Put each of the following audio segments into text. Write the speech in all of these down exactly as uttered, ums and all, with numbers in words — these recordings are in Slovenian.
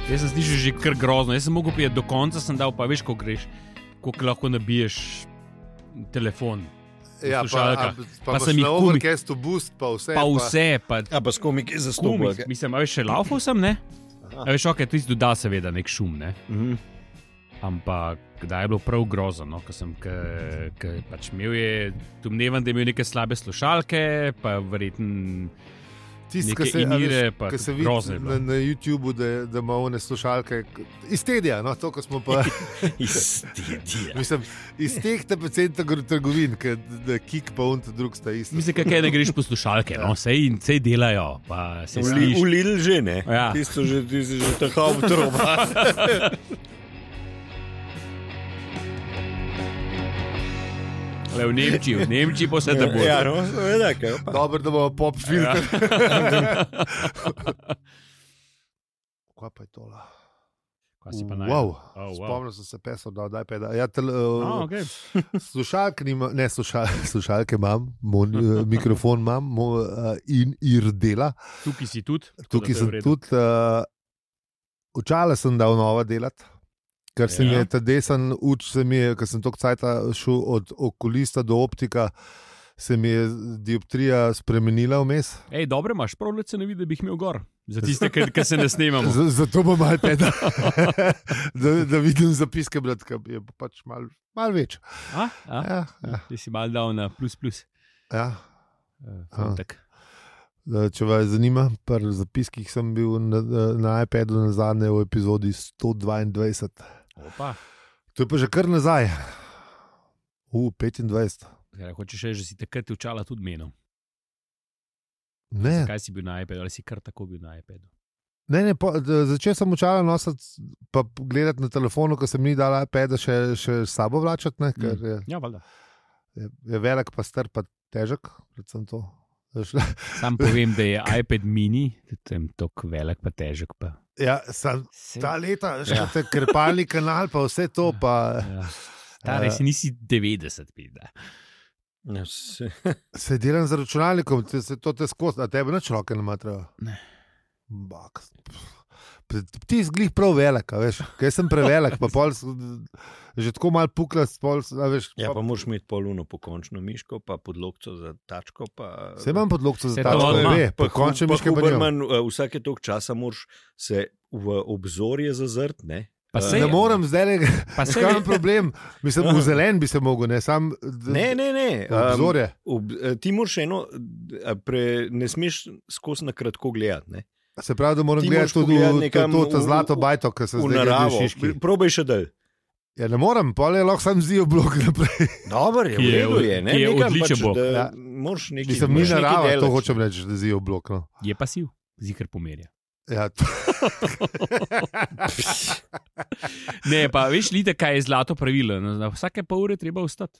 Jaz sem slišal že kar grozno. Jaz sem mogel prijeti do konca, sem dal, pa veš, ko greš, koliko lahko nabiješ telefon. Ja, pa, a, pa, pa sem jih na Overcastu boost, pa vse. Pa vse, pa... Ja, pa s komiki zastopil. Mislim, a veš, še laufal sem, ne? A veš, ok, tu si doda seveda nek šum, ne? Mhm. Ampak kdaj je bilo prav grozno, no? Ko sem, ke, ke pač imel je, domnevam, da je imel neke slabe slušalke, pa verjetno... Tisti, ki se, se vidi na, na YouTubeu, da, da ima one slušalke iz Tedija, no, to, ko smo pa... iz Tedija. Mislim, iz teh tepecenta trgovin, da Kik pa on drug sta isto. Mislim, kaj ne greš po slušalke, no, sej, sej delajo, pa se sliš. V Lidl že, ne? Ja. Tisto že, tisto že tako obtroba. Le v Nemčiji, v Nemčiji pa vse da bo. Ja, no, seveda, kaj pa. Dobro, da bomo pop filter. Ja. Kaj pa je tola? Kaj si pa najde? Wow, oh, wow. Spomnil sem se pesel, da daj peda. Ja, tel, uh, oh, okay. Slušalke nima, ne, slušal, slušalke imam, mon, uh, mikrofon imam mo, uh, in ir dela. Tukaj si tudi? Tukaj sem tudi. Uh, Očala sem dal nova delati. Ker se mi je ta desen uč, se mi je, ker sem toliko cajta šel od okulista do optika, se mi je dioptrija spremenila vmes. Ej, dobro imaš, prav leče ne vidi, da bi jih imel gor. Za tiste, ki se ne snemamo. Z, zato bom malo peda, da, da vidim zapiske, brat, ki je pač malo mal več. A? A? Ja, ja. Ti si malo dal na plus plus. Ja. Uh, Če vas zanima, pri zapiskih sem bil na, na iPadu na zadnje v epizodi sto dvaindvajset. Opa. To je pa že kar nazaj. U, petindvajset. Ja, hočeš reči, že si takrat učala tudi menil. Ne. Kaj si bil na iPadu, ali si kar tako bil na iPadu? Ne, ne, po, začel sem učala nositi, pa gledati na telefonu, ko sem ni dala iPada še, še s sabo vlačati, ne, ker je, ja, valjda. Je, je velik, pa star, pa težek, predvsem to. Sam povem, da je iPad mini, tam tok velik, pa težek. Pa. Ja, sam, ta leta, še ja. Te krpalni kanal, pa vse to. Pa, ja. Stare, uh, si nisi devetdeset, pida. Ja, se. se delam z računalnikom, te, se to te skozi, a tebe nič roke ne matrajo. Ne. Bak. Ti zglih prav velik, veš, kaj sem prevelik, pa pol, že tako malo pukla, pol, veš. Ja, pa moraš imeti poluno pokončno miško, pa podlokco za tačko, pa... Se imam podlokco za tačko, ne ve, pokončno miško pa Huberman, vsake toliko časa moraš se v obzorje zazrt, ne? Pa se ne morem zdaj, pa se imam problem, mislim, v zelen bi se mogel, ne, sam... Ne, ne, ne. Obzorje. Um, ob, ti moraš eno, pre, ne smeš skozi na kratko gledati, ne? Se pravi, da moram gledati tudi nekam, to, to, to zlato bajto, ki se zdaj gleda v Šiški. Probaj še del. Ja, ne morem, pa je lahko sam zdijo blok naprej. Dobar je, v redu je. Ne? Je odličen pač, blok. Ja. Moraš nekaj delati. Ni narava, to hočem reči, da zdijo blok. No. Je pasiv, zikr pomerja. Ja, to... ne, pa veš, lite, kaj je zlato pravilo. Na vsake pol ure treba vstati.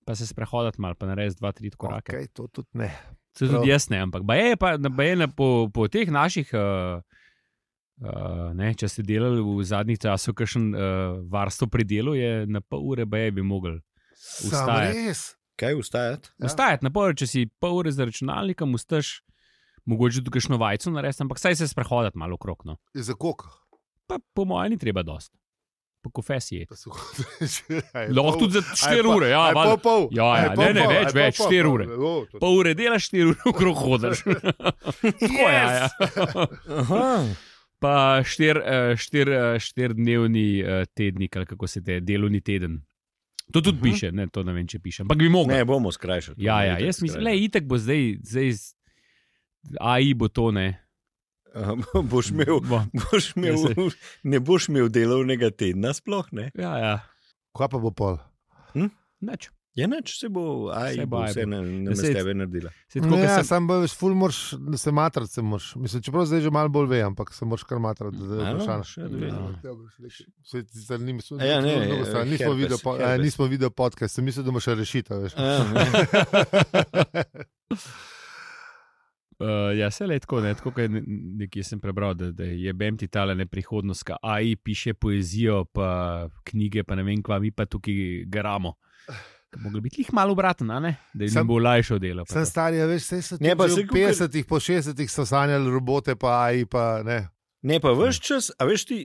Pa se sprehodati malo, pa narediti dva, tri korake. Ok, to tudi ne. Se tudi jaz ne, ampak je pa, je na, po, po teh naših, uh, uh, ne, če ste delali v zadnjih časih, kakšen uh, varstvo pri delu, je na pol ure baje bi mogli vstajati. Kaj vstajati? Ja. Vstajati na pol ure, če si pol ure za računalnikom, ustaš, mogoče tudi kakšno vajco narediti, ampak saj se sprehodati malo okrog. No. Za koliko? Pa po mojem ni treba dosti. Po kofesiji. Lahko tudi za štiri ure. Ja, aj pol, pol. Ja, ja, ne, ne, več, aj več, štiri ure. Pol ure delaš, štiri ure okrog hodaš. Tako je, ja. Pa štir, štir, štir dnevni tednik, ali kako se te, delovni teden. To tudi uh-huh. piše, ne, to ne vem, če piše. Ampak bi mogel. Ne, bomo skrajšali. Ja, ja, jaz mislim, le, itak bo zdaj, zdaj A I bo to, ne. Um, boš imel, boš imel, ja, ne boš imel delovnega tedna sploh, ne? Ja, ja. Kaj pa bo pol? Hm? Neč. Ja, neč, se bo, aj, se bo vse na, na se, tebe naredila. Se tako, ne, sem... sam boš ful moraš, da se matrati se moraš. Mislim, čeprav zdaj že malo bolj ve, ampak se moraš kar matrati. Ja, ne, nismo video podcast, sem mislil, da boš še rešitev, veš. Uh, ja, se le tako, ne, tako kaj nekje sem prebral, da, da je bem ti tale neprihodnost, ka A I piše poezijo, pa knjige, pa ne vem kva, mi pa tukaj garamo. Mogli biti jih malo obraten, ne? Da jim bo lajšo delo. Sem starija, veš, se so v petdesetih, po šestdesetih so sanjali robote, pa A I, pa ne. Ne, pa veš čas, a veš ti,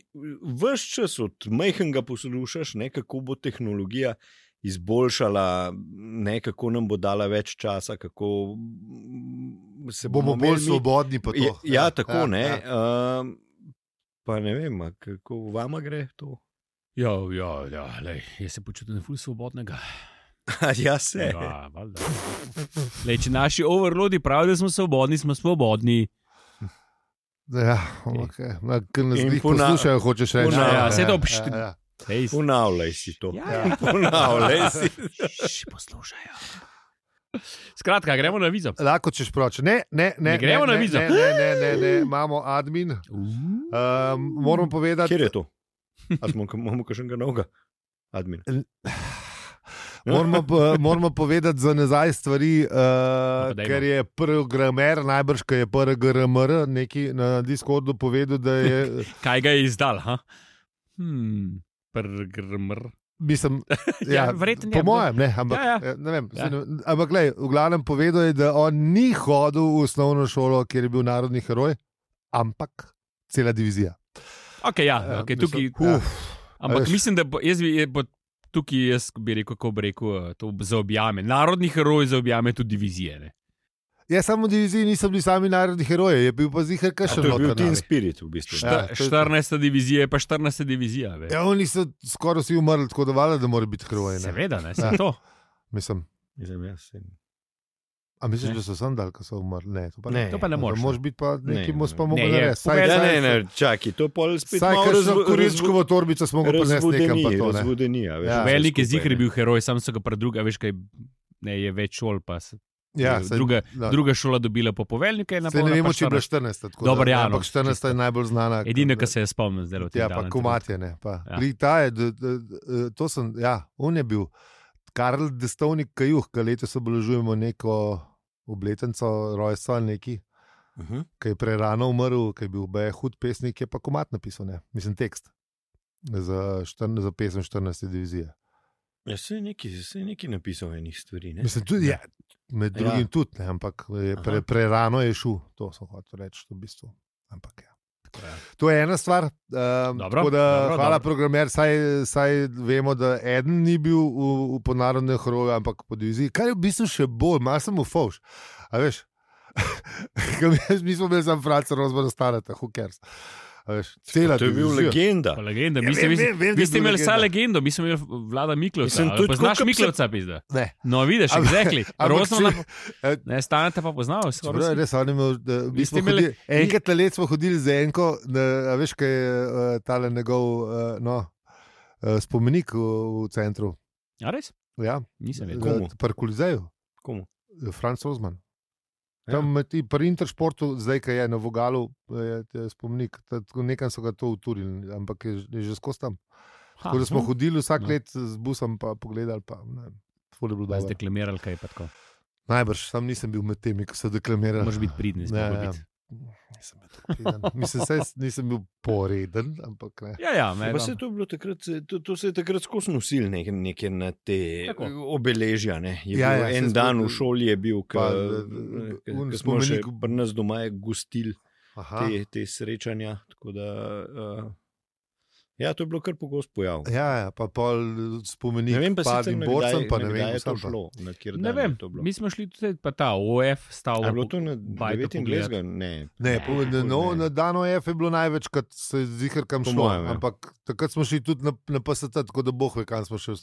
veš čas od majhnega poslušaš, ne, kako bo tehnologija izboljšala, ne, kako nam bo dala več časa, kako se bomo, bomo bolj svobodni po to. Ja, ja tako, ja, ne. Ja. Uh, pa ne vem, kako vama gre to? Ja, ja, ja, lej, jaz se počutim ful svobodnega. Ja, se. Ja, lej, če naši overlodi pravijo, da smo svobodni, smo svobodni. Ja, okay. Ker nas njih poslušajo, hočeš reči. Ja, se to obšti. Ja, ja. Ponavljaj si to. Ja, ja. Ponavljaj si. Še poslušajo. Skratka, gremo na vizo. Lahko češ proč. Ne, ne, ne. ne gremo ne, na vizo. Ne, ne, ne, ne, ne. Imamo admin. Um, moram povedati. Kjer je to? A smo, imamo kakšnega novega admin? Moramo, moramo povedati za nazaj stvari, uh, ker je programer, najbrž, ki je P R G R M R, neki na Discordu povedal, da je. Kaj ga je izdal? Hmm, P R G R M R. Mislim, ja, ja, verjetno po mojem, ne, ampak, ja, ja. ne vem. Ja. Ampak, glej, v glavnem povedal je, da on ni hodil v osnovno šolo, kjer je bil narodni heroj, ampak cela divizija. Ok, ja, okay, tukaj. Ja. Ampak Veš. mislim, da bo, jaz bi. Bo, Tukaj jaz bi rekel, kako bi rekel, to zaobjame. Narodni heroj zaobjame tudi divizije. Ne? Ja, samo v diviziji niso bili sami narodni heroji, je bil pa zihar kakšen. To je bil Team Spirit v bistvu. Šta, ja, štirinajsta divizija je pa štirinajsta divizija. Ve. Ja, oni so skoraj vsi umrli, tako da valjda, da mora biti heroji. Seveda, ne, se ja. to. Mislim. Mislim, jaz sem. A misliš, ne. da so sandal, ko so umrli? Ne, to pa ne. ne, to pa ne moreš. Moraš biti pa neki mos pa mogo ne, narediti. Ne, ne, ne, čaki, to pol spet malo razvu, kurinčkovo torbico smo ga prinesli nekam pa to. Razvodenija. Ja, veliki zihar je bil heroj, sam so ga pa druga, veš kaj, ne, je več šol pa se. Ja, druga, saj, druga šola dobila po poveljnika. Se ne vemo, če je bila štirinajsta. Dobar, ja, ampak štirinajsta je najbolj znana. Edino, kar se je spomnil zdaj od tega. Ja, pa Komatje, ne. Pa. Ja. Ta je, d, d, d, to sem, ja, on je bil Karl Destovnik Kajuh, ki letos obeležujemo neko obletnico rojstva neki, uh -huh. ki je prerano umrl, ki je bil B hud pesnik, je pa Komat napisal, ne, mislim tekst za, štrn, za pesem štirinajste divizije. Ja, se je neki, se je neki napisal enih stvari, ne? Mislim, tudi, ja, med drugim ja. tudi, ne, ampak je pre, prerano je šel, to sem hotel reči, v bistvu, ampak ja. To je ena stvar, um, dobro, tako da dobro, hvala dobro. programer, saj, saj vemo, da eden ni bil v, v ponarodnem heroju, ampak po diviziji, kar je v bistvu še bolj, malo sem v fauš, a veš, mi smo imeli sam Franca Rozmana Starata, who cares, a veš, cela to je bil legenda. Pa legenda, mi ja, ste imeli vsa legendo, mi smo imeli Vlada Miklovca, ali poznaš Miklovca, pizda? Ne. No, vidiš, exactly. Rozmana, ne, Staneta pa poznal, skoraj. Res, on imel, da, mi smo imeli, hodili, enkrat na let smo hodili z Enko, da, a veš, kaj je uh, tale njegov, uh, no, uh, spomenik v, v centru. A res? Ja. Nisem vedel. Komu? Pri Kolizeju. Komu? Franc Rozman. Tam ja. Pri Intersportu, zdaj, ki je na Vogalu, je, je spomenik, nekaj so ga to uturili, ampak je, je že skozi tam. Ha, tako da smo hm. hodili vsak no. let z busom, pa pogledali, pa ne, ful je bilo dobro. Deklamirali kaj pa tako? Najbrž, sam nisem bil med temi, ko so deklamirali. Moraš biti pridni, smo ja, biti. Nisem bil tako priden. Mislim, saj nisem bil poreden, ampak ne. Ja, ja, me, pa se to, bilo takrat, to, to se je takrat skozi nosil neke, neke na te tako. Obeležja. Ne? Je ja, ja, en dan v šoli je bil, ko smo še pri nas doma gostili te, te srečanja. Tako da, uh, ja, to je bilo kar pogost pojav. Ja, ja, pa pol spomenik padnim borcem, pa ne vem, je to šlo. Na ne vem, mi smo šli tudi, pa ta O F stavil. Je bilo to na devetindvajsetega? Ne, ne, po, ne, no, na dan O F je bilo največ, kad se zihar kam šlo, mojem, ja. Ampak takrat smo šli tudi na, na P S T, tako da boh ve, kam smo šli.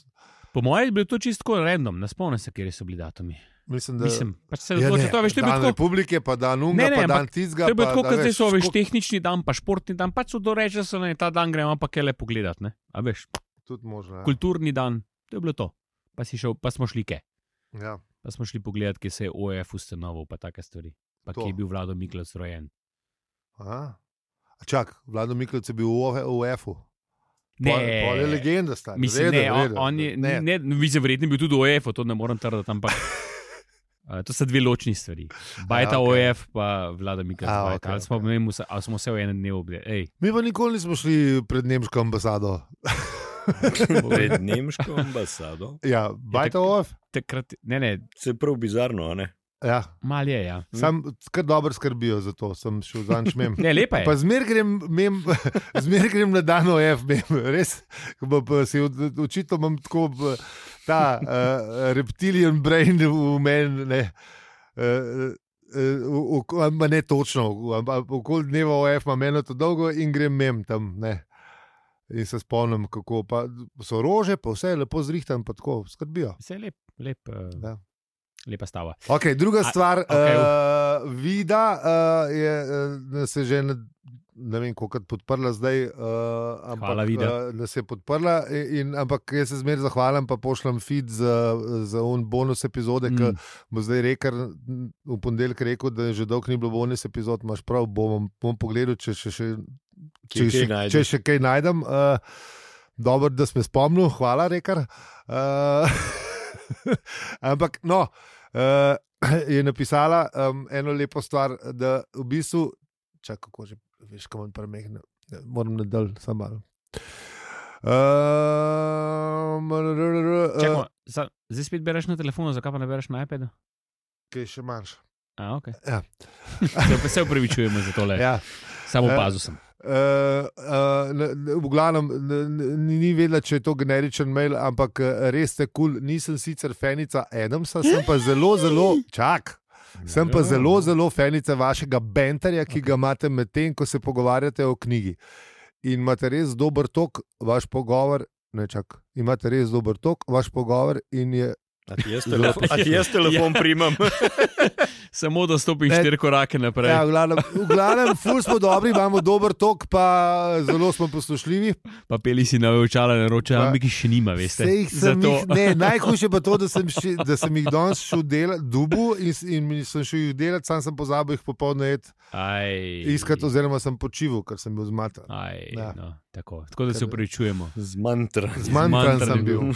Po mojem je bilo to čisto random, ne spomnim se, kjer so bili datumi. Mislim, da Mislim, pač se odloči, ja, to veš, to je dan tako... Republike, pa dan Unga, ne, ne, pa dan Tizga. To je bilo tako, kot zdaj so, veš, tehnični dan, pa športni dan, pač so doreči, da so ne, ta dan gremo pa kele pogledat, ne, a veš. Tudi možno, ja. Kulturni dan, to je bilo to. Pa si šel, pa smo šli ke. Ja. Pa smo šli pogledat, kje se je O F ustanovil, pa take stvari. Pa to. Kje je bil Vlado Miklovc rojen. Aha. Čak, Vlado Miklovc je bil v O F-u. Ne, pol je legenda, stari. Mislim, ne, on, on je, ne, ne, vi se verjetno bil tudi v O F-u, to ne moram trdati, ampak uh, to so dve ločni stvari. Bajta ja, okay. O F, pa Vlada Miklovc. Okay, ali, smo, okay. vse, ali smo se v enem dnevu obdeli? Mi pa nikoli nismo šli pred nemško ambasado. Pred nemško ambasado? Ja, Bajta O F? Takrat, ne, ne. Se prav bizarno, a ne? Ja. Mal je, ja. Sam kar dobro skrbijo za to, sem šel zanj šmem. Ne, lepa je. Pa zmer grem, mem, zmer grem na dan O F, mem, res, pa, pa si očitno imam tako ta uh, reptilian brain v meni, ne, uh, uh, uh, ne točno, okoli dneva O F imam eno to dolgo in grem mem tam, ne. In se spomnim, kako pa so rože, pa vse je lepo zrihtan, pa tako skrbijo. Vse je lep, lep. Uh... Ja. Lepa stava. Okay, druga stvar, okay. uh, Vida uh, je uh, se že ne, ne vem, koliko podprla zdaj, uh, ampak Hvala, Vida. Uh, da se je podprla, in, ampak jaz se zmeraj zahvalim, pa pošljem feed za, za un bonus epizode, mm. ki bo zdaj rekel, v ponedeljek rekel, da že dolgo ni bilo bonus epizod, imaš prav, bom, bom pogledal, če še, še, če, še, če še kaj najdem. Uh, dobro, da smo spomnili, hvala, Rekar. Uh, ampak, no, uh, je napisala um, eno lepo stvar, da v bistvu, čak, kako že, veš, kam on premehne, moram nadalj, samo malo. Um, Čakaj, uh, zdaj spet bereš na telefonu, zakaj pa ne bereš na iPadu? Kaj še manjš? A, ok. Ja. Se, se upravičujemo za tole. Ja. Samo opazil sem. Uh, uh, v glavnem, ni vedela, če je to generičen mail, ampak res ste kul. Cool. Nisem sicer fanica Adamsa, sem pa zelo, zelo, čak, sem pa zelo, zelo fanica vašega banterja, ki ga imate med tem, ko se pogovarjate o knjigi. In imate res dober tok, vaš pogovor, ne čak, imate res dober tok, vaš pogovor in je. A ti jaz telefon, a ti jaz telefon ja. primam? Samo da stopim štiri korake naprej. Ja, v glavnem, v glavnem ful smo dobri, imamo dober tok, pa zelo smo poslušljivi. Pa peli si na očala, na roče, ampak jih še nima, veste. Jih, ne, najhujše pa to, da sem, še, da sem jih danes šel delati, dubu in, in sem šel jih delati, sam sem pozabil jih popoldne iskati, oziroma sem počival, ker sem bil zmatan. Ja. No, tako. tako da se upravičujemo. Zmantran. Zmantran sem bil.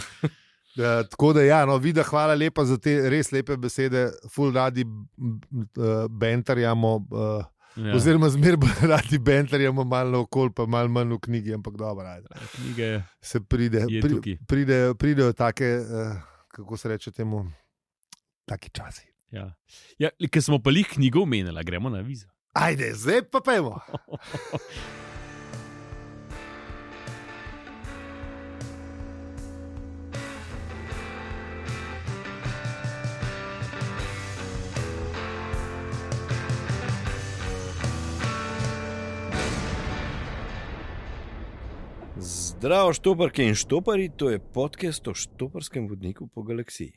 Uh, tako da, ja, no, Vida, hvala lepa za te res lepe besede, ful radi uh, bentarjamo, uh, ja. oziroma zmer radi bentarjamo malo na okol, pa malo manj v knjigi, ampak dobro, ajde. Knjige se pride, pri, pride, pridejo take, uh, kako se reče temu, taki časi. Ja, ja, ker smo pa lih knjigo omenila, gremo na vizo. Ajde, zdaj pa pojmo. Zdravo, štoparke in štopari, to je podcast o štoparskem vodniku po galaksiji.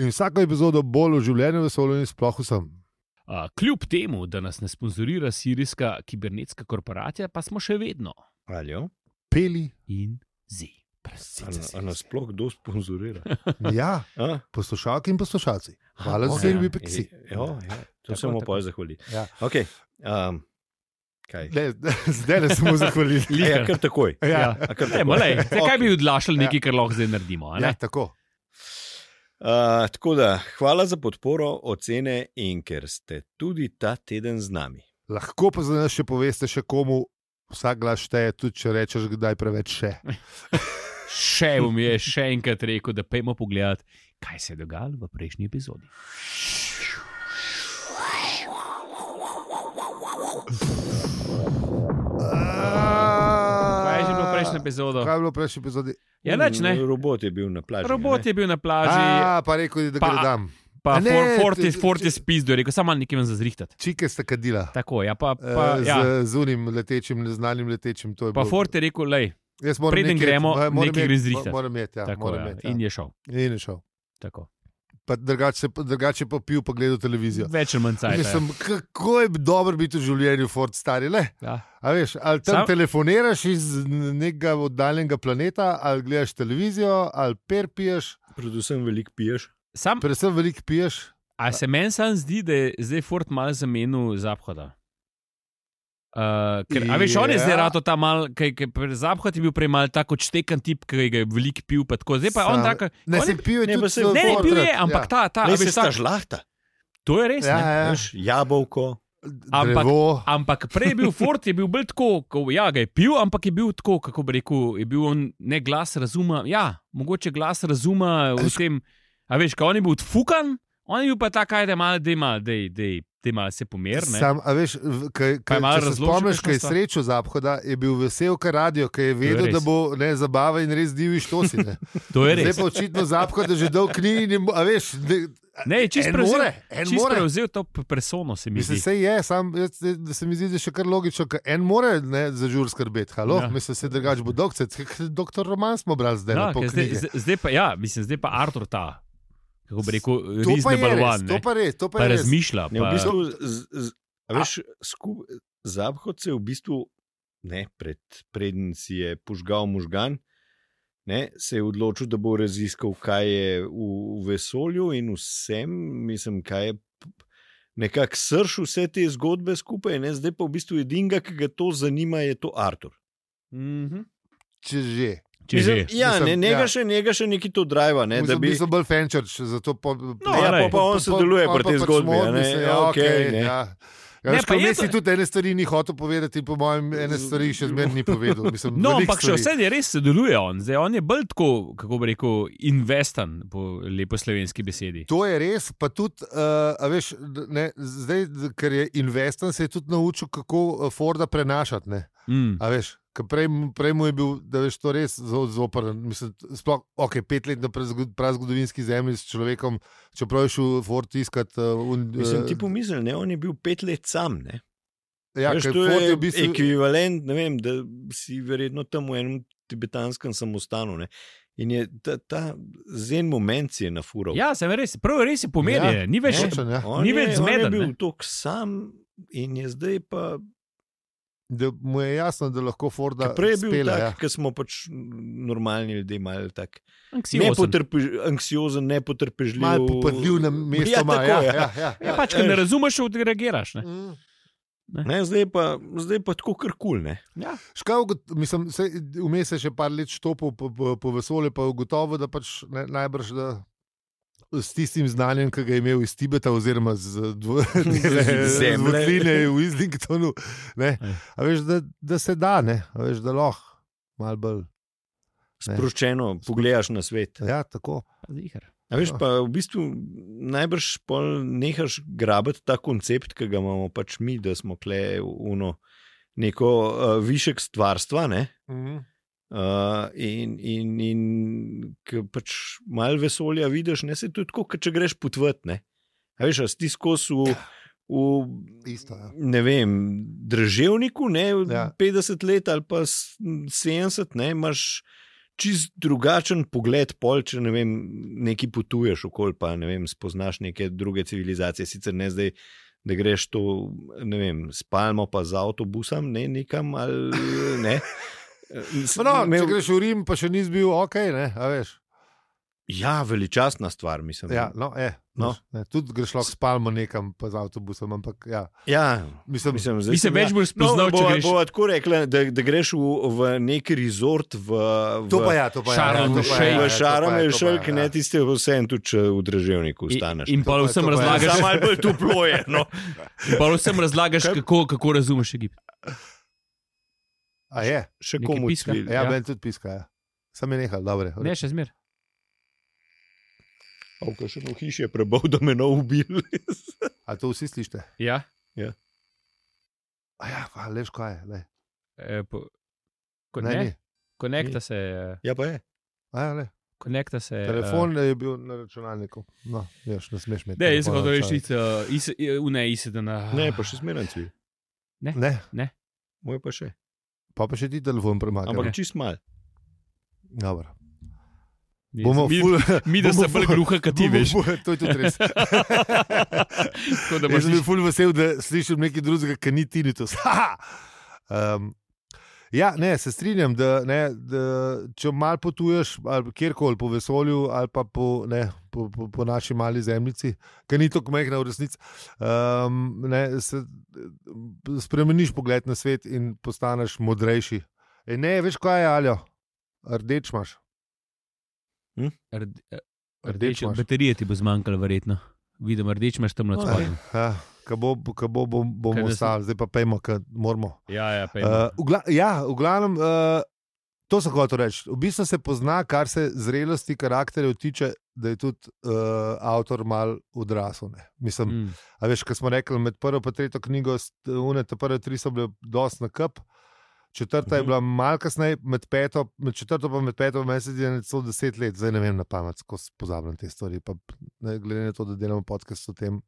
In vsako epizodo bolj v življenju vesolju in sploh vsem. A, kljub temu, da nas ne sponzorira sirijska kibernetska korporacija, pa smo še vedno. Aljo? Peli in zi. A nas sploh kdo sponzorira? Ja, a? Poslušalki in poslušalci. Hvala za serbi peksi. Ja, ja, to se bomo pa zahvalili. Ja. Ok, um, Ne, zdaj ne smo zahvalili. Ja, kar takoj. Ja. Ja, kar takoj. Malej, okay. Kaj bi odlašali nekaj, kar lahko zdaj naredimo? Ja, tako. Uh, tako da, hvala za podporo, ocene in ker ste tudi ta teden z nami. Lahko pa za nas še poveste še komu, vsak glas šteje, tudi če rečeš kdaj preveč še. Še bom je še enkrat rekel, da pejmo pogledati, kaj se je dogajalo v prejšnji epizodi. Kaj je že bilo v prejšnji epizodi? Kaj je bilo v prejšnji epizodi? Ja, neč, ne? Robot je bil na plaži. Robot ne? je bil na plaži. A, pa rekel, da ga dam. Pa Forti spizdo je rekel, samo malo nekaj vam zazrihtati. Čike sta kadila. Tako, ja, pa... pa z, ja. z unim letečim, neznanim letečim. To je pa Forti je rekel, lej, preden gremo, nekaj gre zrihtati. Moram imeti, ja. Tako, moram ja. Met, ja. In je šel. In je šel. Tako. Pa drugače, drugače pa pil, pa gledal televizijo. Več ali manj cajt. Mislim, kako je dobro biti v življenju, Ford stari, le? Ja. A veš, ali tam Sam... telefoniraš iz nekega oddaljenega planeta, ali gledaš televizijo, ali per piješ. Predvsem veliko piješ. Sam... Predvsem veliko piješ. A se meni sam zdi, da je zdaj Ford malo zamenil Zaphoda? Uh, ker, a veš, on je zdaj rato ta mal, ker Zaphod je bil prej mal tako odštekan tip, ki ga je veliko pil, pa tako, zdaj pa je on tako... Ne, se pil je tudi se, ne, ne, pil je, ampak ja. ta, ta... Ne, se sta žlahta. To je res, ja, ne? Ja. Veš, jabolko, ampak, drevo. Ampak prej je bil Ford, je bil bolj tako, ko, ja, ga je pil, ampak je bil tako, kako bi rekel, je bil on ne glas razuma, ja, mogoče glas razuma v tem, a veš, ko on je bil odfukan, On je bil pa ta, kaj da je malo, da je malo, da je malo se pomer. Sam, a veš, kaj, kaj, če se spomniš, kaj je srečo Zaphoda, je bil vesel, kaj radio, kaj je vedel, je da bo ne, zabava in res divji štosi. To je res. Zdaj pa očitno Zaphod, da že dolg knjigi, a veš... Ne, čist prevzel to persono, se mi zdi. Mislim, se je, sam, da se mi zdi, da še kar logično, ker en more ne, za žur skrbeti. Halo, ja. Mislim, se drugač bo doktor, doktor Roman smo brali zdaj ja, na pol knjige. Zdaj, zdaj pa, ja, mislim, zdaj pa Artur ta. Kako bi rekel, reasonable one. To pa res, to pa, pa res. Razmišlja. Ne, v bistvu, z, z, veš, skup, Zaphod se v bistvu, ne, pred, predn si je požgal možgan, ne, se je odločil, da bo raziskal, kaj je v, v vesolju in vsem, mislim, kaj je nekako srž vse te zgodbe skupaj, ne, zdaj pa v bistvu edinga, ki ga to zanima, je to Artur. Mm-hmm. Če že. Mislim, ja, mislim, ne, njega, ja. Še, njega še neki to drive. Ne, mislim, da bi bil bolj fenčerč, zato po, no, ja, pa, pa on sodeluje pri tej zgodbi. Ne, ja, okay, ne. Ja. Ja, ne, pa Messi tudi ene stvari ni hotel povedati, po mojem, ene stvari še zmeraj ni povedal. Mislim, no, ampak še vse je res sodeluje on. Zdaj, on je bolj tako, kako bi rekel, investan, po lepo slovenski besedi. To je res, pa tudi, uh, a veš, ne, zdaj, ker je investan, se je tudi naučil, kako Forda prenašati. Ne. Mm. A veš, Prej, prej mu je bil, da veš, to res zoprn. Mislim, sploh, ok, pet let na prazgodovinski zemlji s človekom, čeprav je šel Ford iskat. Uh, un, Mislim, ti pomisli, ne, on je bil pet let sam, ne? Ja, veš, to je, je v bistvu... ekvivalent, ne vem, da si verjetno tam v enem tibetanskem samostanu, ne? In je ta, ta zen moment si je nafural. Ja, sem res, prav res je pomerjen, ja, ni več, ja. ni več zmeden. On je bil tok sam in je zdaj pa... Da mu je jasno, da lahko Forda prej je bil spela, tak, ja. Ker smo pač normalni ljudje, malo tak nepotrpežljiv, anksiozen, nepotrpežljiv. Malo popadljiv na mesto. Ja, tako, ja, ja. ja, ja, ja. Pač, ker ne razumeš, odreagiraš. Ne? Mm. Ne? Ne, zdaj pa, zdaj pa tako kar kul, ne? Ja. Škav, mislim, se, vmes je še par let štopil po, po, po vesolju, pa ugotovil, da pač ne, najbrž, da s tistim znanjem, ki ga je imel iz Tibeta, oziroma z Zemljine v Islingtonu, a veš, da, da se da, ne, a veš, da lahko malo bolj sproščeno pogledaš na svet. Ja, tako. A veš, pa v bistvu najbrž pol nehaš grabiti ta koncept, ki ga imamo pač mi, da smo kle uno neko uh, višek stvarstva, ne? Mhm. Uh, in in, in ki pač malo vesolja vidiš, ne, se tudi tako, če greš potvati, ne. A veš, a si skozi v, v Isto, ja. ne vem, Državniku, ne, ja. petdeset let ali pa sedemdeset, ne, imaš čist drugačen pogled pol, če ne vem, neki potuješ okoli, pa ne vem, spoznaš neke druge civilizacije, sicer ne zdaj, da greš to, ne vem, s palmo pa z avtobusom, ne, nekam ali ne. No, če greš v Rim, pa še nisi bil ok, ne, a veš. Ja, veličastna stvar, mislim. Ja, no, je. No. Ne, tudi greš lahko s palmo nekam, pa z avtobusom, ampak ja. Ja, mislim, mislim, zdaj, mislim več bolj spoznal, no, če greš. Bova tako rekla, da, da greš v, v neki resort v, v to pa ja, to pa ja. V Šarm el Šejk, ne, tiste vse en tudi, če v Državniku staneš. In, in pa vsem razlagaš. Samo malo bolj toplo je, no. In pa vsem razlagaš, kako, kako razumeš Egipt. A je? Še komu piska? Ja, ja. Ben tudi piska, ja. Sam je nehal, dobre. Ne, še zmer. Avka še v hiši je prebal, da me ne ubil. A to vsi slište? Ja. Ja. A ja, pa leš kaj je, le. E, po, ko ne, ne, ni. Konekta se. Ja, pa je. A ja, le. Konekta se. Telefon uh, je bil na računalniku. No, ješ, ne smeš imeti. Ne, jaz sem hotel rešiti, uh, ne, isedena. Ne, pa še zmeren cvi. Ne? Ne. Ne. Moj pa še. Pa pa še ti telefon premaknil. Ampak čist mal. Dobro. Bomo mi, ful, mi da se bolj gruha, kot ti veš. To je tudi res. Jaz sem bil ful vesel, da slišim nekaj drugega, ki ni tinnitus. um, ja, ne, se strinjam, da, ne, da če malo potuješ ali kjerkoli po vesolju ali pa po, ne, po, po, po naši mali zemljici, ki ni tako majhna v resnici, um, ne, se spremeniš pogled na svet in postaneš modrejši. E, ne, veš kaj je, Aljo? Rdeč imaš. Hm? Rde, rdeč imaš. Baterije ti bo zmanjkalo, verjetno. Vidim, rdeč imaš tam na spodnjem. Ja, ko bo, ko bo, bom, bomo ostali, zdaj pa pejmo, ker moramo. Ja, ja, pejmo. Uh, v, gla, ja, v glavnem, uh, to sem hotel reči. V bistvu se pozna, kar se zrelosti karakterjev tiče, da je tudi uh, avtor mal odrasel. Ne. Mislim, mm. a veš, ko smo rekli, med prvo in tretjo knjigo, une, te prve tri so bile dosti na kup, četrta mm-hmm. je bila malo kasneje, med, peto, med četrto pa med peto mesec je celo deset let, zdaj ne vem na pamet, ko pozabljam te stvari. Pa, ne, glede na to, da delamo podcast o tem,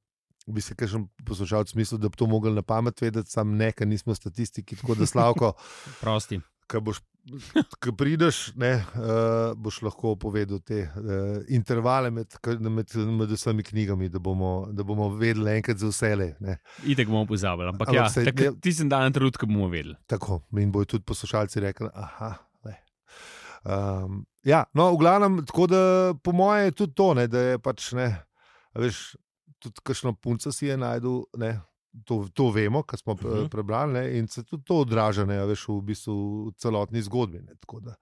bi se kakšen poslušalec mislil, da bi to mogli na pamet vedeti, sam ne, ker nismo statistiki, tako da Slavko. Prosti. Ko prideš, ne, uh, boš lahko povedal te uh, intervale med, med, med vsemi knjigami, da bomo, da bomo vedeli enkrat za vse. Itek bomo pozabili, ampak, ampak ja, se, tak, ti sem dan trenutka bomo vedeli. Tako, in bojo tudi poslušalci rekli, aha, ne. Um, ja, no, v glavnem, tako da po moje je tudi to, ne, da je pač, ne, veš, tudi kakšno punca si je najdel, ne, To, to vemo, kar smo uh-huh. prebrali, ne, in se tudi to odraža, ne, veš, v bistvu v celotni zgodbi. Ne, tako da.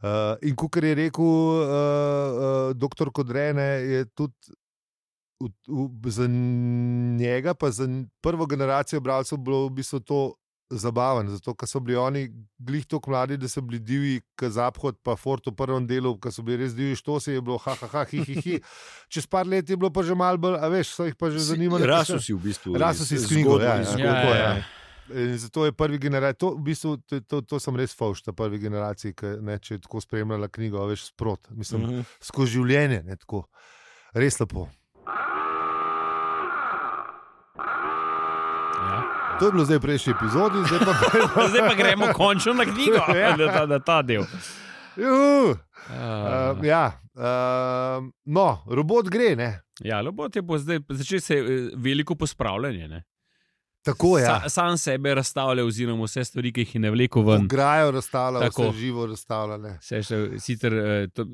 Uh, in kakor je rekel uh, uh, doktor Kodrene, je tudi v, v, za njega, pa za prvo generacijo bralcev bilo v bistvu to zabaven, zato ker so bili oni glih toliko mladi, da so bili divji, k Zaphod pa Fort v prvem delu, ker so bili res divji štosi, je bilo ha, ha, ha, hi, hi, hi. Čez par let je bilo pa že malo bolj, a veš, so jih pa že zanimali. Raso si v bistvu. Raso si s knjigo, ja, ja, ja, ja, ja. In zato je prvi generacij, to v bistvu, to, to, to sem res fauš, ta prvi generaciji, ki, ne, če je tako spremljala knjigo, veš, sprot, mislim, uh-huh. skozi življenje, ne, tako, res lepo. To je bilo zdaj v prejšnji epizodi, zdaj pa, zdaj pa gremo končno na knjigo, ja. na, ta, na ta del. Uh, uh, ja, uh, no, robot gre, ne? Ja, robot je bo zdaj začel se veliko pospravljanje, ne? Tako je. Ja. Sa, sam sebe razstavlja, oziroma vse stvari, ki jih je ne vleko ven. Grajo razstavlja, vse živo razstavlja. Sicer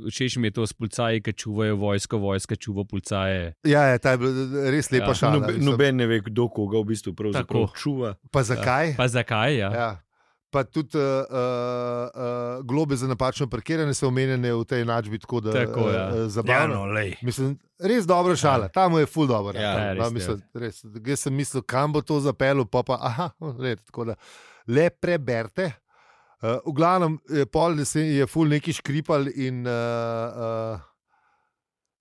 všeč mi je to s policaji, ki čuvajo vojsko, vojska čuva policaje. Ja, je, ta je bila res lepa ja. šala. Noben nobe ne ve, kdo koga v bistvu pravzaprav čuva. Pa zakaj? Pa zakaj, ja. ja. Pa tudi uh, uh, uh, globe za napačno parkiranje so omenjene v tej enačbi, tako da tako, ja. uh, zabavno. Ja, no, mislim, res dobra šala, ja. Tam je ful dobro. Ja, ja, res, mislim, res. Jaz sem mislil, kam bo to zapeljal, pa pa aha, red, tako da le preberite. Uh, v glavnem, pol je ful neki škripal in uh, uh,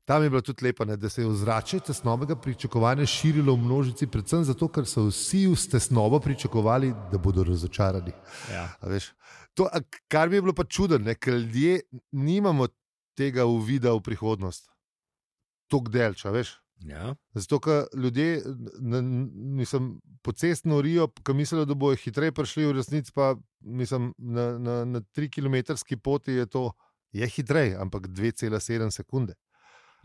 tam je bilo tudi lepo, ne, da se je ozračje tesnobnega pričakovanja širilo v množici, predvsem zato, ker so vsi v tesnobo pričakovali, da bodo razočarani. Ja. To, kar mi je bilo pa čudno, ker ljudje nimamo tega uvida v prihodnost. Tok delča, veš? Ja. Zato, ker ljudje mislim, pocestno norijo, ker mislijo, da bojo hitreje prišli, v resnici pa mislim, na, na, na tri kilometrski poti je to je hitreje, ampak dve cela sedem sekunde.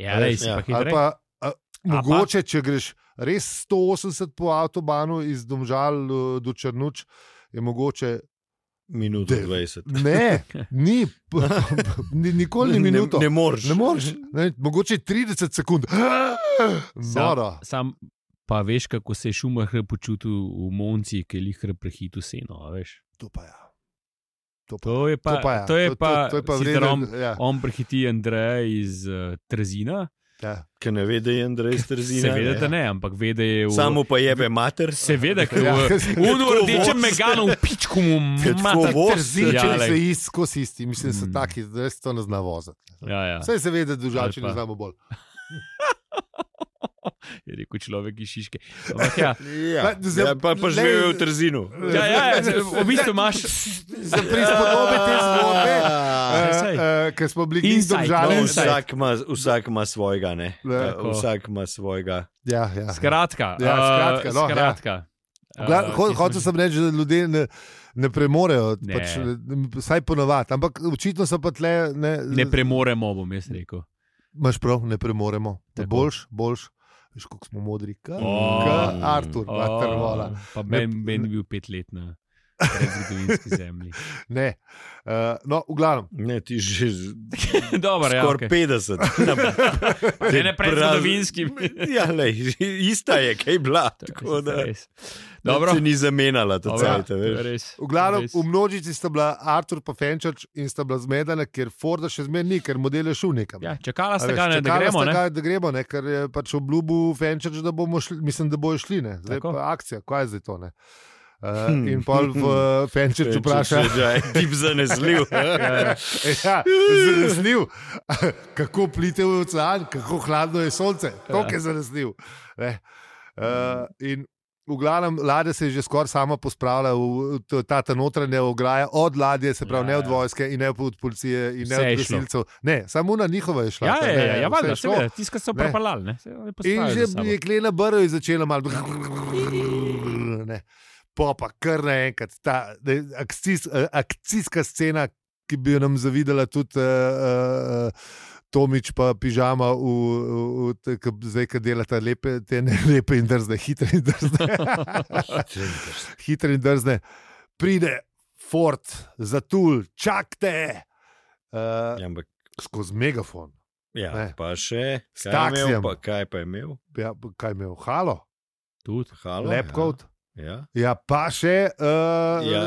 Ja, res, ja. Pa ali pa a, mogoče, pa? Če greš res sto osemdeset po avtobanu iz Domžal do Črnuč, je mogoče minuto dvajset. Ne, ni, nikoli ni minuto. Ne, ne moreš. Ne moreš. Ne, mogoče trideset sekund. Noro. Sam, sam pa veš, kako se je Schumacher počutil v Monci, ki je lihre prehitil seno, veš? To pa ja. To, to je pa, to pa, ja. to je pa, to, to, to je pa vreden, on, ja. on prehiti Andreja iz uh, Trzina. Ja. Ker ne ve, da je Andrej iz Trzina. Seveda, da ne, ampak ve, da je v... Samo pa jebe mater. Seveda, ker ja. v unu rdečem meganu v pičku mu mater Trzina. Če se ist, ko si isti. Mislim, da so mm. taki, da se to ne zna voziti. Ja, ja. Vse se ve, da dužači ne znamo bolj. Je rekel človek iz Šiške. Ampak ja, ja. ja pa, pa živijo v Trzinu. Ja, ja, v bistvu imaš za prispodobe te zgodbe, ker smo bili in Domžale. No, vsak, vsak ima svojega, ne? Ja, vsak ima svojega. Ja, ja. Skratka. Ja, skratka, no, skratka. Ja. Uh, Hotel sem reči, da ljudje ne, ne premorejo, ne. Pač, vsaj ponovadi, ampak očitno so pa tle... Ne, ne premoremo, bom jaz rekel. Imaš prav, ne premoremo. Boljš, boljš. Veš, kako smo modri, kot oh, Artur, oh, Vatervola. Pa meni ben bil pet let na predzgodovinski zemlji. Ne, uh, no, v glavnem. Ne, ti že skoraj ja, okay. petdeset. Ne, ne predzgodovinski. Ja, lej, ista je, kaj bila. Tako da se ni zamenjala ta cajt. V glavnem, v množici sta bila Artur pa Fenčač in sta bila zmedena, ker Forda še zmer ni, ker model je šel nekam. Ja, čakala sta ga, da gremo, ne? Ga, da gremo, ne? Ker je pač obljubil Fenčač, da bomo šli, mislim, da bojo šli, ne? Zdaj tako. Pa akcija, kaj je zdaj to, ne? Uh, in pol v Fenčerču vpraša, če je tip zanesljiv. ja, zanesljiv. Kako plite v ocean, kako hladno je sonce. To je zanesljiv. Ne. Uh, in v glavnem ladja se je že skoraj sama pospravila v ta, ta notranja ograja od ladje, se pravi ja, ne od vojske in ne od policije in ne od gasilcev. Ne, samo na njihova je šla. Ja, ja, ja, ja valjda, seveda, tiska so propalali. In že je Klena Brjo začela malo ne. Pa pa kar naenkrat ta akcijs, akcijska scena, ki bi jo nam zavidela tudi uh, uh, Tomič pa pižama, v, v, v, k, zdaj, ki delata lepe, te ne lepe in drzne, hitre in drzne. hitre in drzne. Pride Ford, zatul, čakte, uh, ja, skozi megafon. Ja, ne. Pa še, s taksijem. Pa, kaj pa je imel? Ja, kaj je imel? Halo? Tudi halo. Lepkot. Ja. Ja. ja, pa še uh, ja.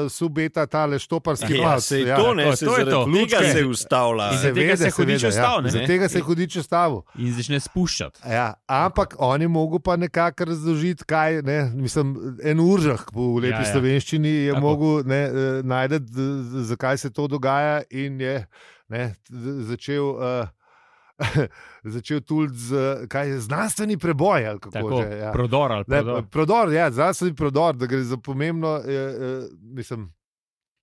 subeta tale štoparski ja, pas. Ja, to ne, se zaradi tega se je ustavila. Iz tega se je hudič ustavil. Iz tega se je hudič ustavil. In začne spuščati. Ja, ampak on je mogel pa nekako razložiti, kaj, ne, mislim, en uržah v lepi ja, ja. slovenščini je Tako. mogel ne, najti, zakaj se to dogaja in je ne, začel... Uh, začel tudi z kaj, znanstveni preboj. Ali kako Tako, že, ja. Prodor. Ali prodor. Ne, prodor, ja, znanstveni prodor, da gre za pomembno. Je, je, mislim,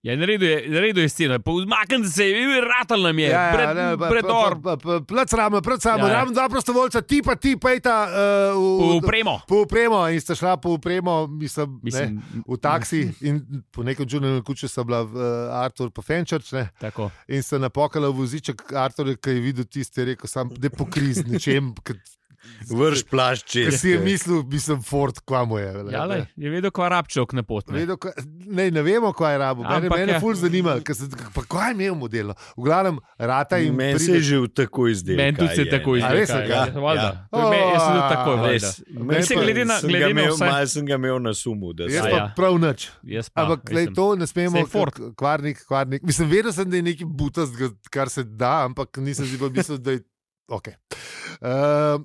Ja, naredil je, naredil je sceno, umaknite se, ratal nam je, ja, pred, ja, ne, predor. Plac rame, pred sabo, Ja. ravno dva prostovoljca, ti pa ti pejta uh, Po v, upremo. po upremo in sta šla po upremo, mislim, Mislim, ne, v taksi in po nekem čudnem kuču sta bila uh, Artur pa Fenčerč, ne, Tako. in sta napokala voziček Artur, ki je videl tiste, je rekel sam, da pokriz nečem, vrš plašč čez. Ker si je mislil, mislim, Ford, kva mu je. Ja, lej, je vedel, kva rabčok na pot. Ne, Vedel, kva, ne, ne vemo, kva je rabo. Mene, Ampak mene ja. ful zanima, se, pa kva je imel model. V glavnem, rata in Meni se je že v tako izdelal. Meni tudi se je tako A res, izdelal. ja? Ja, valjda. Ja. To je me- Jaz sem tudi tako, O, valjda. Res. Mislim, glede na- sem glede ga na imel, vse- malo sem ga imel na sumu. Da Jaz se- pa ja. prav nič. Jaz pa, Ampak glej, mislim, to ne smemo, Saj Ford. k- kvarnik, kvarnik. Mislim, vedel sem, da je nekaj butast, kar se da, ampak nisem si pa mislil, da je ok. Uh,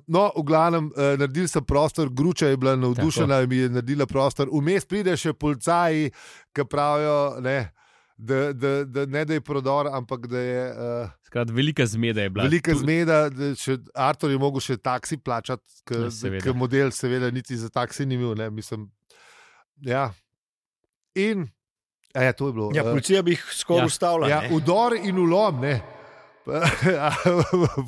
no, v glavnem, uh, naredili so prostor, Gruča je bila navdušena in mi je naredila prostor. Vmes pride še policaji, ki pravijo, ne, da, da, da ne da je prodor, ampak da je uh, Skrat, velika zmeda je bila. velika Tu- zmeda. Da še, Artur je mogel še taksi plačati, Ja, seveda. ker model seveda niti za taksi ni imel. Ne, mislim, ja. In, a ja, to je bilo. Ja, uh, policija bi jih skoraj Ja. ustavila. Ja, ne. udor in ulom, ne.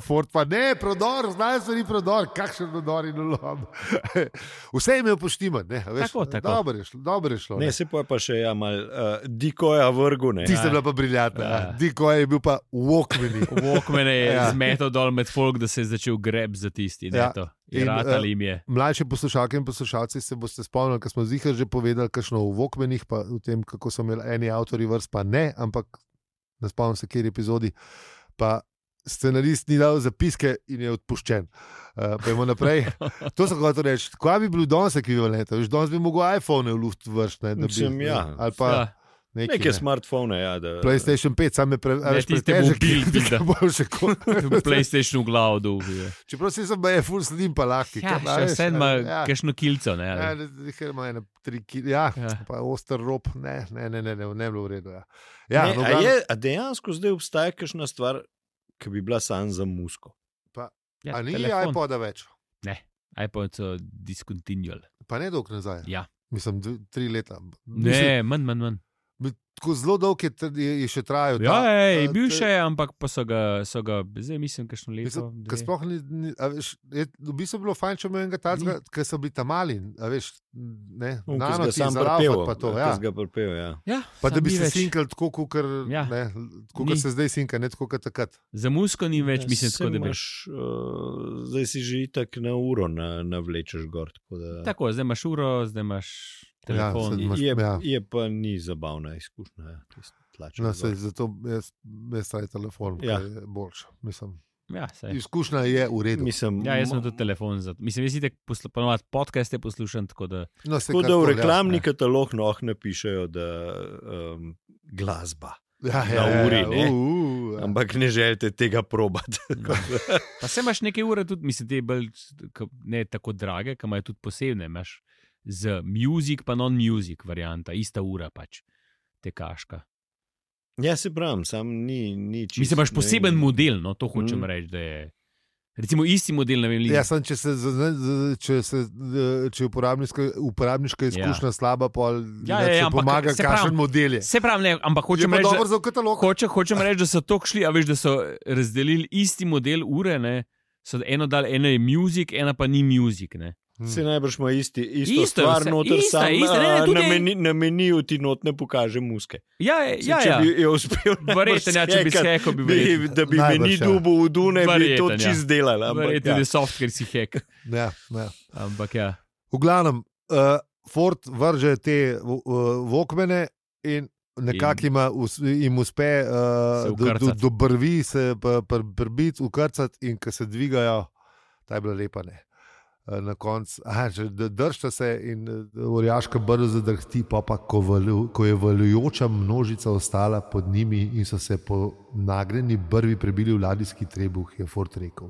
Ford pa ne, prodor, znanstveni prodor, kakšen prodor in ulom. Vse je imel poštiman, ne, veš, Tako, tako. dobro je šlo. Dobro je šlo Ne, ne. se pa je pa še ja, mal uh, dikoja vrgu. Ne. Tiste bila pa briljantna. Ja. Ja. Diko je bil pa Walkmani. Walkman je Ja. zmetal dol med folk, da se je začel greb za tisti. Ja. Ja. In, In ratal eh, jim je. Mlajši poslušalke in poslušalci se boste spomnili, ker smo zihar že povedali, kakšno v Walkmanih, pa v tem, kako so imeli eni avtori vrst, pa ne, ampak ne spomnim se, kjer epizodi. Pa scenarist ni dal zapiske in je odpuščen. Uh, Pojmo naprej. To sem hotel reči. Kaj bi bil danes ekvivalent? Veš, danes bi mogel iPhone v luft vršiti. Mislim, ja. Ali pa Ja. neki, Neke ne. smartfone, ja. Da, PlayStation pet, sam je pre, a Ne, veš, tiste pretežek, mobil, pizda. ki bo še ko- PlayStation v glavo dol. Čeprav si sem je full sledim pa lahki. Ja, Kaj, a še veš, vse ima ja. kakšno kilco. Ne, Ja, ali- ne, ker ima ene tri kile, ja, Ja. pa oster rob, ne, ne, ne, ne, ne, ne bilo v redu. Ja. Ja, ne, no, a, glavno- je, a dejansko zdaj obstaja kakšna stvar, ki bi bila sam za musko? Ja, a ni telefon. iPoda več, iPod so discontinual. pa ne dolgo nazaj. Ja. Mislim, dve, tri leta. Ne, manj, manj, manj. Mislim, tako zelo dolg je, tr- je, je še trajal. Ja, ta, ej, a, bil te- še, ampak pa so ga, so ga zdaj mislim, kakšno leto. Mislim, dve. ker sploh ni, ni a veš, je, v bistvu bilo fajn, če imel enega takega, ker so bili tam mali, a veš, ne, No, nano ki ti si ga sam zaraufat prepel. pa to, ki ja. si ga prepel, ja. Ja, Pa da samo bi ni se več. sinkal tako, kot Ja. ja. Ni. se zdaj sinka, ne tako kot takrat. Za musko ni več, Ja, mislim, saj tako da bi. imaš, uh, zdaj si že itak na uro na, navlečeš gor. Tako da, Tako, zdaj imaš uro, zdaj imaš telefon. sedaj in- imaš- je, ja. je pa ni zabavna izkušnja. Ja, tisto tlačenje No, gor. sej, zato jaz, jaz taj telefon, Ja. ja. je boljši. Mislim, Ja, saj. izkušnja je v redu. Mislim, Ja, jaz sem mo- tudi telefon. Za, mislim, jaz itek poslu- ponovadi podcaste poslušam, tako da No, sej Tako da v karkoli, ja. reklamni katalog noh napišejo, da um, glasba. Ja, ja, na ja, uri, ja, ne. uh, uh, ja. Ampak ne želite tega probati. Pa se imaš neke ure tudi, mislim, te bolj k- ne tako drage, ki imajo tudi posebne. Imaš z music pa non-music varianta, ista ura pač, tekaška. Ja, se pravim, sam ni, ni čisto. Mislim, imaš poseben ne, model, no, to hočem mm. reči, da je. Recimo isti model, ne vem, li... Ja, sem, če se, če se, če uporabniška, uporabniška izkušnja ja. slaba, pol, ja, ja, ja, pomaga, kakšen model je. Se pravi, ne, ampak hočem reči, da, hoče, hočem reči, da so tok šli, a veš, da so razdelili isti model ure, ne, so eno dal, ena je music, ena pa ni music, ne. Hmm. Se najbrž ima isti, isto, isto stvar, noter ista, sam ista, ne, ne, na, meni, na meniju ti not ne pokaže muske. Ja, ja, če ja. bi je uspel verjeten, ja, če bi skekal, bi verjeten. Da bi najbrž, meni ja. dubo v Dune, bi to čist ja. delal. Verjeten, ja. da je software si hek. Ja, ja. Ampak ja. V glavnem, uh, Ford vrže te uh, Walkmane in nekako jim uspe uh, do, do, do brvi se prbiti, ukrcati in ko se dvigajo, ta je bila lepa, ne. Na koncu, držite se in orjaška brzo zadrhti, pa pa ko, valju, ko je valjujoča množica ostala pod njimi in so se po nagreni brvi prebili v ladijski trebuh, je Ford rekel: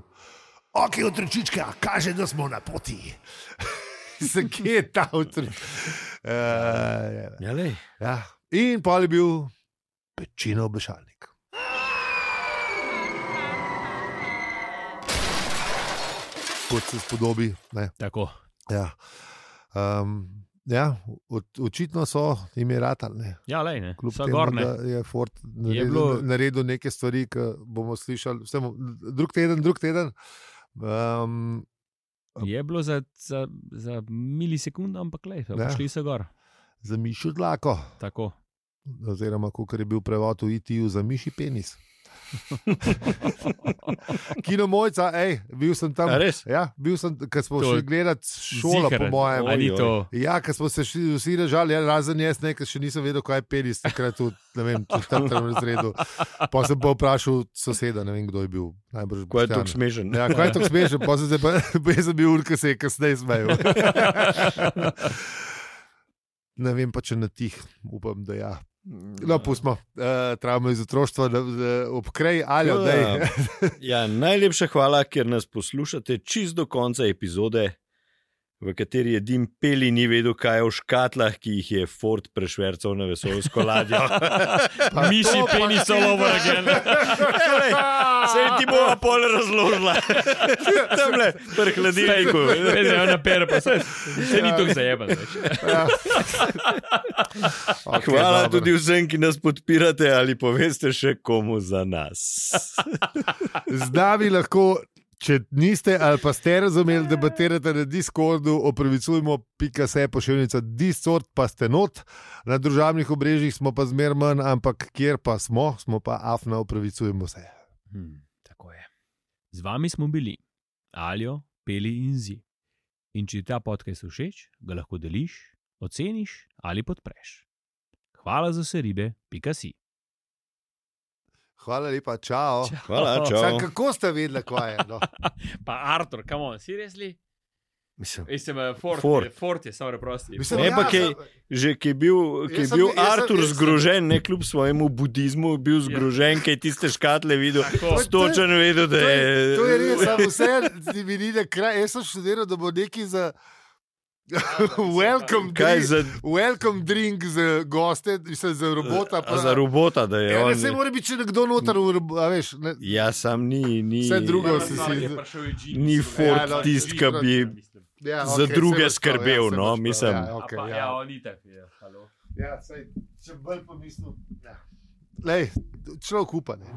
ok, otročička, kaže, da smo na poti. Se kje je ta otročička? Uh, ja, ja. In pa je bil Pečino obešalnik. Kot se spodobi. Ne. Tako. Ja. Um, ja, očitno so jim je ratali. Ja, lej, ne. Kljub so temu, gorne. da je Ford naredil, je bilo... naredil neke stvari, ki bomo slišali vsem, drug teden, drug teden. Um, je bilo za, za, za milisekund, ampak lej, so ja. prišli so gor. Za mišjo dlako. Tako. Oziroma, kot je bil prevod v I T-ju, za miši penis. Kino Mojca, ej, bil sem tam. Ja, bil sem, ko smo to šli gledati šolo, zikaren. Po mojem. Oj, oj. Ja, ko smo se šli, vsi režali, ja, razen jaz, ne, ker še nisem vedel, kaj je penis, takrat v, ne vem, v četrtem razredu. Pa sem pa vprašal soseda, ne vem, kdo je bil. Najbrž ko je tako smešen. Ja, ko je tako smešen, pa sem se pa, pa sem bil ur, ko se je kasneje smejal. Ne vem pa, če na tih, upam, da ja. No, pustimo, uh, travmo iz otroštva, da, da obkrej, ali da je. Ja, najlepša hvala, ker nas poslušate čist do konca epizode, v kateri je Dim Peli ni vedel, kaj je v škatlah, ki jih je Ford prešvercal na vesoljsko ladjo. Miši penis all over again. Sej ti bo pol razložila. Tamle, pri hladilniku. Vede, ona pere, pa se, se ni tako zajeban. Ja. Okay, hvala dobro. Tudi vsem, ki nas podpirate ali poveste še komu za nas. Z nami lahko, če niste ali pa ste razumeli, debatirate na Discordu, opravicujmo pika se pošiljnica Discord, pa ste not. Na družabnih obrežjih smo pa zmer manj, ampak kjer pa smo, smo pa afna, opravicujemo se. Hmm, tako je. Z vami smo bili Aljo, Peli in Zi. In če ti ta podcast všeč, ga lahko deliš, oceniš ali podpreš. Hvala za vse ribe, pika si. Hvala lepa, čau. čau. Hvala, čau. Sam, kako ste vedeli, kaj je? No? Pa Artur, come on, seriously? Mislim, Mislim Ford, Ford. Ford je samo preprosti. Mislim, ne, ja, pa kaj, že ki je bil, ki je bil sem, Artur sem, zgrožen, ne kljub svojemu budizmu, bil zgrožen, kaj tiste škatle videl, stočen vedel, da je... To je res, samo vse, mi ni na kraj, jaz sem študiral, da bo neki za... welcome, drink, za... welcome drink za goste, mislim, za robota. Pa, za robota, da je ja, on. Ne se mora biti, če nekdo noter, a veš. Ne. Ja, sam ni, ni... Vse drugo si si... Ni Ford ja, no, tist, ki bi ja, za okay, druge to, skrbel, ja, no, mislim. Ja, okay, pa, ja. ja, on itak je, halo. Ja, sej, če bolj pomislil. Ja. Lej, človek upa, ne.